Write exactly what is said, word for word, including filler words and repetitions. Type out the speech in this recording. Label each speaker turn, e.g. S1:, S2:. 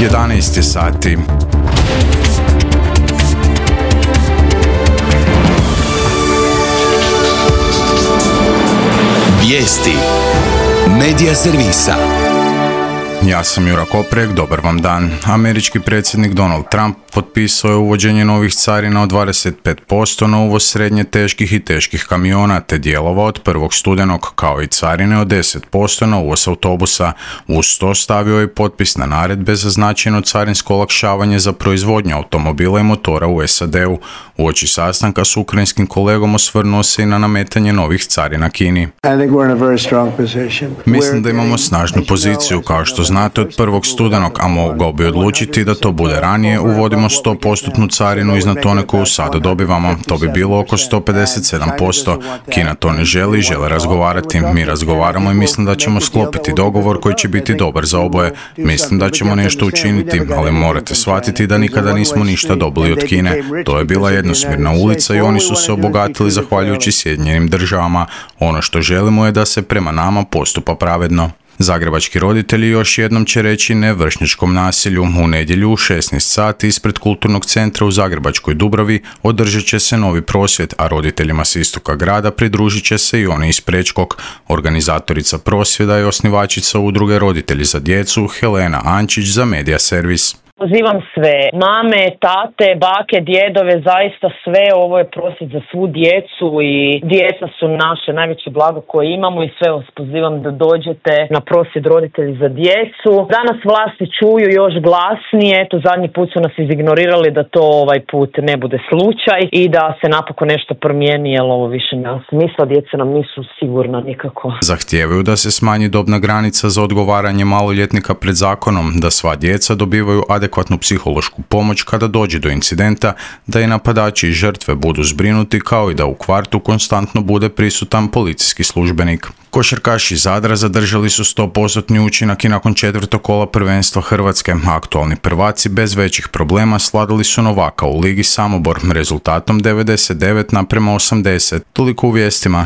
S1: jedanaest je sati.
S2: Vijesti Medija servisa.
S1: Ja sam Jura Koprek, dobar vam dan. Američki predsjednik Donald Trump potpisao je uvođenje novih carina od dvadeset pet posto na uvoz srednje teških i teških kamiona te dijelova od prvog studenog, kao i carine od deset posto na uvoz autobusa. Uz to stavio je potpis na naredbe za značajno carinsko olakšavanje za proizvodnju automobila i motora u S A D-u. Uoči sastanka s ukrajinskim kolegom osvrnuo se i na nametanje novih carina Kini. Mislim da imamo snažnu poziciju, kao što znate, od prvog studenog, a mogao bi odlučiti da to bude ranije, uvodimo sto posto carinu iznad one koju sada dobivamo. To bi bilo oko sto pedeset sedam posto. Kina to ne želi, žele razgovarati. Mi razgovaramo i mislim da ćemo sklopiti dogovor koji će biti dobar za oboje. Mislim da ćemo nešto učiniti, ali morate shvatiti da nikada nismo ništa dobili od Kine. To je bila jednosmjerna ulica i oni su se obogatili zahvaljujući Sjedinjenim državama. Ono što želimo je da se prema nama postupa pravedno. Zagrebački roditelji još jednom će reći ne vršnjačkom nasilju. U nedjelju u šesnaest sati ispred Kulturnog centra u Zagrebačkoj Dubravi održat će se novi prosvjed, a roditeljima s istoka grada pridružit će se i oni iz Prečkog. Organizatorica prosvjeda je osnivačica udruge Roditelji za djecu Helena Ančić za Medija servis.
S3: Pozivam sve, mame, tate, bake, djedove, zaista sve, ovo je prosvjed za svu djecu i djeca su naše najveće blago koje imamo i sve vas pozivam da dođete na prosvjed Roditelji za djecu. Danas vlasti čuju još glasnije, eto zadnji put su nas izignorirali da to ovaj put ne bude slučaj i da se napokon nešto promijeni, jer ovo više nema smisla, djeca nam nisu sigurna nikako.
S1: Zahtijevaju da se smanji dobna granica za odgovaranje maloljetnika pred zakonom, da sva djeca dobivaju adekvatnu psihološku pomoć kada dođe do incidenta, da i napadači i žrtve budu zbrinuti, kao i da u kvartu konstantno bude prisutan policijski službenik. Košarkaši Zadra zadržali su sto posto učinak i nakon četvrtog kola prvenstva Hrvatske. Aktualni prvaci bez većih problema sladili su Novaka u Ligi Samobor rezultatom devedeset devet naprema osamdeset. Toliko u vijestima.